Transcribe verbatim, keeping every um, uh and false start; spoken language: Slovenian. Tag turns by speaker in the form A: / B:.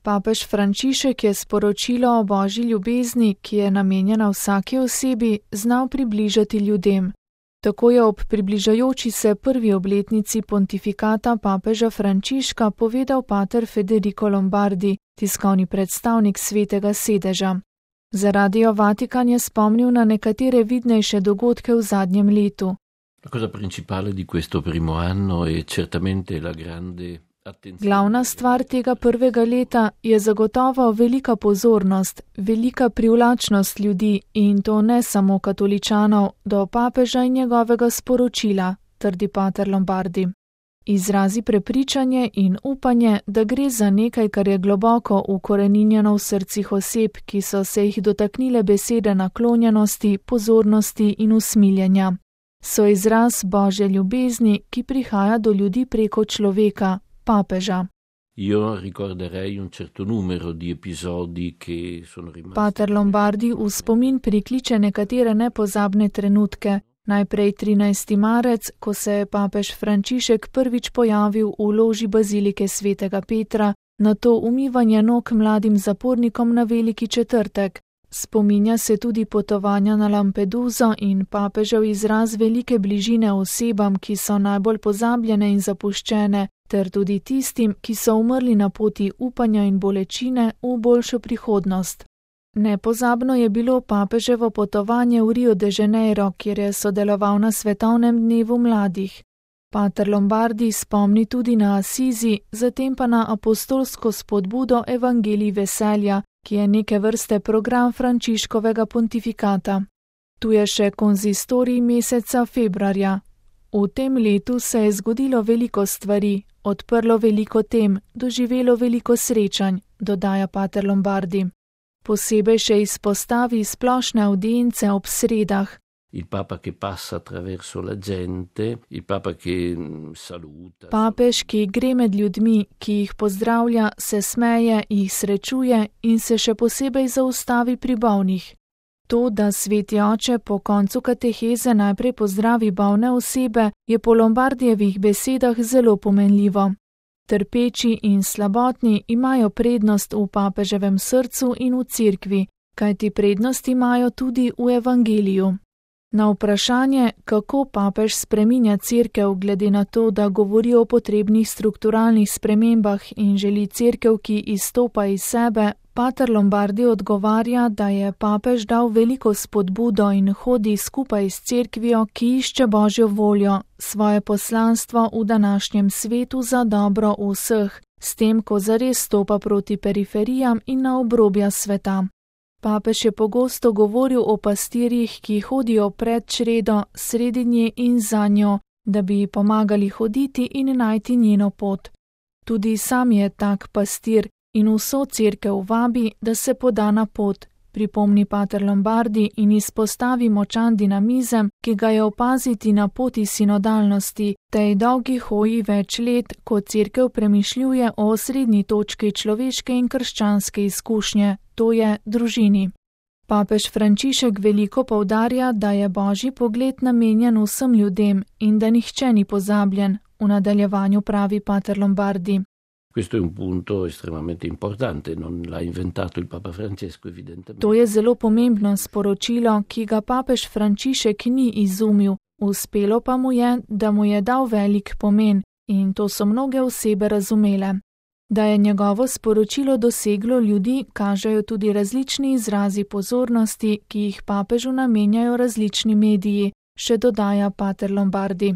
A: Papež Frančišek je sporočilo o božji ljubezni, ki je namenjena vsaki osebi, znal približati ljudem. Tako je ob približajoči se prvi obletnici pontifikata papeža Frančiška povedal pater Federico Lombardi, tiskovni predstavnik Svetega sedeža. Za Radio Vatikan je spomnil na nekatere vidnejše dogodke v zadnjem letu. Glavna stvar tega prvega leta je zagotovo velika pozornost, velika privlačnost ljudi in to ne samo katoličanov do papeža in njegovega sporočila, trdi pater Lombardi. Izrazi prepričanje in upanje, da gre za nekaj, kar je globoko ukoreninjeno v srcih oseb, ki so se jih dotaknile besede naklonjenosti, pozornosti in usmiljenja. So izraz božje ljubezni, ki prihaja do ljudi preko človeka, papeža. Pater Lombardi v spomin prikliče nekatere nepozabne trenutke. Najprej trinajsti marec, ko se je papež Frančišek prvič pojavil v loži bazilike svetega Petra, nato umivanje nog mladim zapornikom na veliki četrtek. Spominja se tudi potovanja na Lampeduso in papežev izraz velike bližine osebam, ki so najbolj pozabljene in zapuščene, ter tudi tistim, ki so umrli na poti upanja in bolečine v boljšo prihodnost. Nepozabno je bilo papeževo potovanje v Rio de Janeiro, kjer je sodeloval na svetovnem dnevu mladih. Pater Lombardi spomni tudi na Asizi, zatem pa na apostolsko spodbudo Evangelij veselja, ki je neke vrste program Frančiškovega pontifikata. Tu je še konzistorij meseca februarja. V tem letu se je zgodilo veliko stvari, odprlo veliko tem, doživelo veliko srečanj, dodaja pater Lombardi. Posebej še izpostavi splošne avdience ob sredah. Papež, ki gre med ljudmi, ki jih pozdravlja, se smeje, jih srečuje in se še posebej zaustavi pri bolnih. To, da sveti oče po koncu kateheze najprej pozdravi bolne osebe, je po Lombardijevih besedah zelo pomenljivo. Trpeči in slabotni imajo prednost v papeževem srcu in v cerkvi, kajti prednost imajo tudi v evangeliju. Na vprašanje, kako papež spreminja cerkev glede na to, da govori o potrebnih strukturalnih spremembah in želi cerkev, ki izstopa iz sebe, pater Lombardi odgovarja, da je papež dal veliko spodbudo in hodi skupaj s cerkvijo, ki išče božjo voljo, svoje poslanstvo v današnjem svetu za dobro vseh, s tem, ko zares stopa proti periferijam in na obrobja sveta. Papež je pogosto govoril o pastirjih, ki hodijo pred čredo, sredi nje in za njo, da bi ji pomagali hoditi in najti njeno pot. Tudi sam je tak pastir in vso cerkev vabi, da se poda na pot, pripomni pater Lombardi in izpostavi močan dinamizem, ki ga je opaziti na poti sinodalnosti, tej dolgi hoji več let, ko cerkev premišljuje o osrednji točki človeške in krščanske izkušnje, to je družini. Papež Frančišek veliko poudarja, da je božji pogled namenjen vsem ljudem in da nihče ni pozabljen, v nadaljevanju pravi pater Lombardi.
B: Questo è un punto estremamente importante, non l'ha inventato il Papa Francesco evidentemente.
A: To je zelo pomembno sporočilo, ki ga papež Frančišek ni izumil, uspelo pa mu je, da mu je dal velik pomen in to so mnoge osebe razumele. Da je njegovo sporočilo doseglo ljudi, kažejo tudi različni izrazi pozornosti, ki jih papežu namenjajo različni mediji, še dodaja pater Lombardi.